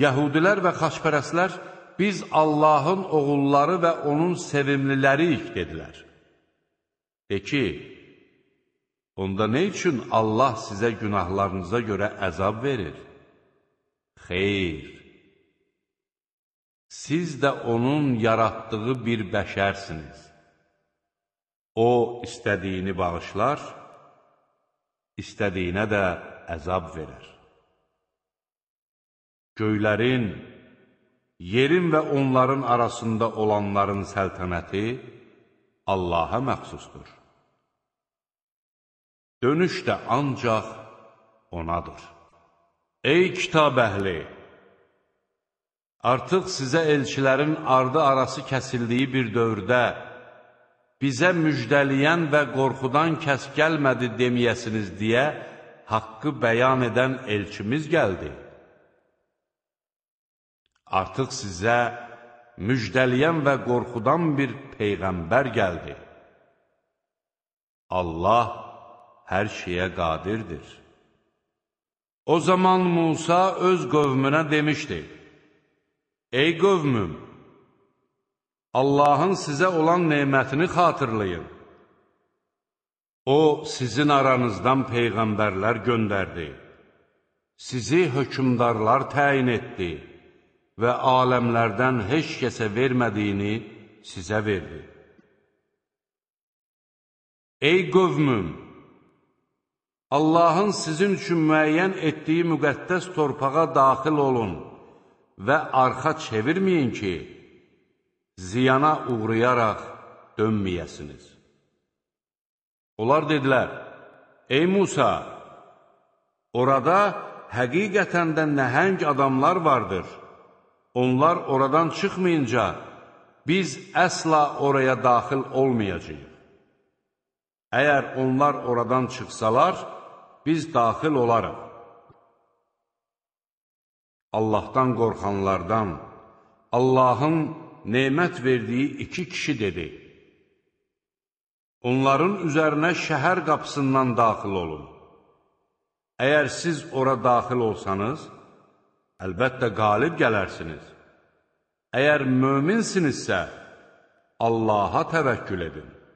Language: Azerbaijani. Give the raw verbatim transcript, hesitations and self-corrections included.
Yəhudilər və xaçpərəstlər, biz Allahın oğulları və onun sevimliləriyik, dedilər. De ki, onda nə üçün Allah sizə günahlarınıza görə əzab verir? Xeyr, siz də onun yaratdığı bir bəşərsiniz. O, istədiyini bağışlar, istədiyinə də əzab verər. Göylərin, yerin və onların arasında olanların səltənəti Allaha məxsusdur. Dönüş də ancaq onadır. Ey kitab əhli! Artıq sizə elçilərin ardı arası kəsildiyi bir dövrdə bizə müjdəliyən və qorxudan kəs gəlmədi deməyəsiniz deyə haqqı bəyan edən elçimiz gəldi. Artıq sizə müjdəliyən və qorxudan bir peyğəmbər gəldi. Allah hər şeyə qadirdir. O zaman Musa öz qövmünə demişdi: Ey qövmüm, Allahın sizə olan nemətini xatırlayın. O, sizin aranızdan peyğəmbərlər göndərdi, sizi hökmdarlar təyin etdi və aləmlərdən heç kəsə vermədiyini sizə verdi. Ey qövmüm, Allahın sizin üçün müəyyən etdiyi müqəddəs torpağa daxil olun və arxa çevirməyin ki, ziyana uğrayaraq dönməyəsiniz. Onlar dedilər: Ey Musa, orada həqiqətən də nəhəng adamlar vardır. Onlar oradan çıxmayınca biz əsla oraya daxil olmayacağıq. Əgər onlar oradan çıxsalar, biz daxil olarıq. Allahdan qorxanlardan Allahın nemət verdiyi iki kişi dedi: Onların üzərinə şəhər qapısından daxil olun. Əgər siz ora daxil olsanız, əlbəttə qalib gələrsiniz. Əgər möminsinizsə, Allaha təvəkkül edin.